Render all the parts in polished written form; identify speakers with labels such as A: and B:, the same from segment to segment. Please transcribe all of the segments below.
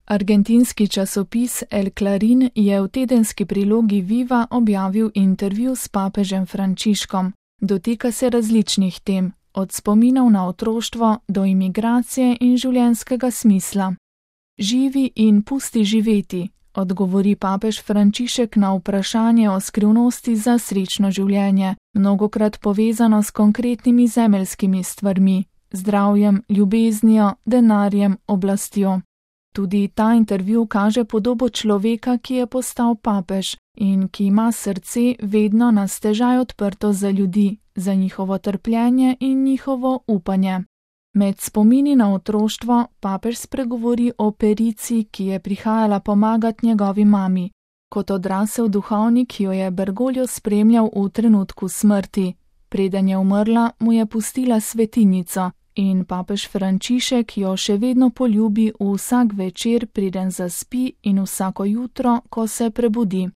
A: Argentinski časopis El Clarín je v tedenski prilogi Viva objavil intervju s papežem Frančiškom. Dotika se različnih tem, od spominov na otroštvo do imigracije in življenjskega smisla. Živi in pusti živeti, odgovori papež Frančišek na vprašanje o skrivnosti za srečno življenje, mnogokrat povezano s konkretnimi zemeljskimi stvarmi, zdravjem, ljubeznijo, denarjem, oblastjo. Tudi ta intervju kaže podobo človeka, ki je postal papež in ki ima srce vedno na stežaj odprto za ljudi, za njihovo trpljenje in njihovo upanje. Med spomini na otroštvo papež spregovori o Perici, ki je prihajala pomagati njegovi mami. Kot odrasel duhovnik jo je Bergoglio spremljal v trenutku smrti. Preden je umrla, mu je pustila svetinjico in papež Frančišek jo še vedno poljubi vsak večer, preden zaspi in vsako jutro, ko se prebudi.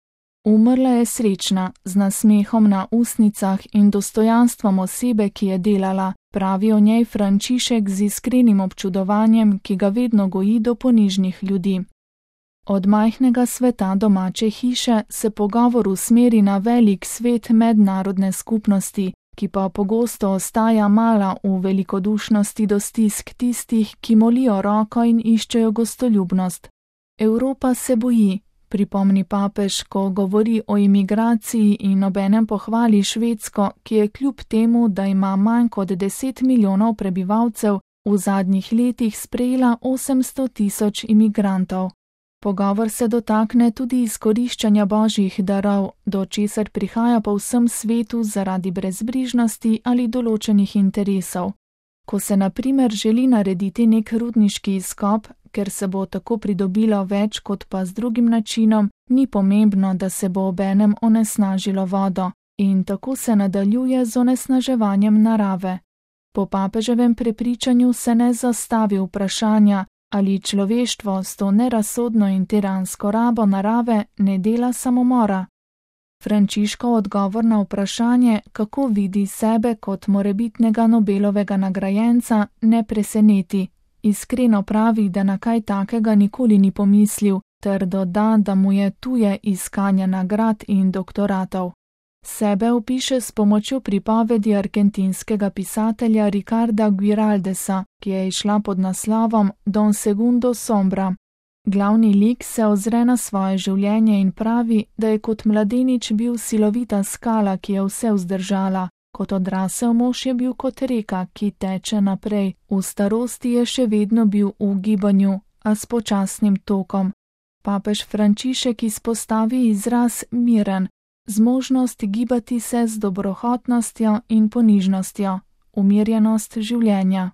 A: Umrla je srečna, z nasmehom na ustnicah in dostojanstvom osebe, ki je delala, pravi o njej Frančišek z iskrenim občudovanjem, ki ga vedno goji do ponižnih ljudi. Od majhnega sveta domače hiše se pogovor usmeri na velik svet mednarodne skupnosti, ki pa pogosto ostaja mala v velikodušnosti do stisk tistih, ki molijo roko in iščejo gostoljubnost. Evropa se boji, pripomni papež, ko govori o imigraciji in obenem pohvali Švedsko, ki je kljub temu, da ima manj kot 10 milijonov prebivalcev, v zadnjih letih sprejela 800 tisoč imigrantov. Pogovor se dotakne tudi izkoriščanja božjih darov, do česar prihaja po vsem svetu zaradi brezbrižnosti ali določenih interesov. Ko se na primer želi narediti nek rudniški izkop, ker se bo tako pridobilo več kot pa z drugim načinom, ni pomembno, da se bo obenem onesnažilo vodo, in tako se nadaljuje z onesnaževanjem narave. Po papeževem prepričanju se ne zastavi vprašanja, ali človeštvo s to nerazsodno in tiransko rabo narave ne dela samomora. Frančiškov odgovor na vprašanje, kako vidi sebe kot morebitnega Nobelovega nagrajenca, ne preseneti. Iskreno pravi, da na kaj takega nikoli ni pomislil, ter doda, da mu je tuje iskanje nagrad in doktoratov. Sebe opiše s pomočjo pripovedi argentinskega pisatelja Ricarda Guiraldesa, ki je izšla pod naslovom Don Segundo Sombra. Glavni lik se ozre na svoje življenje in pravi, da je kot mladenič bil silovita skala, ki je vse vzdržala. Kot odrasel mož je bil kot reka, ki teče naprej. V starosti je še vedno bil v gibanju, a s počasnim tokom. Papež Frančišek izpostavi izraz miren, zmožnost gibati se z dobrohotnostjo in ponižnostjo, umirjenost življenja.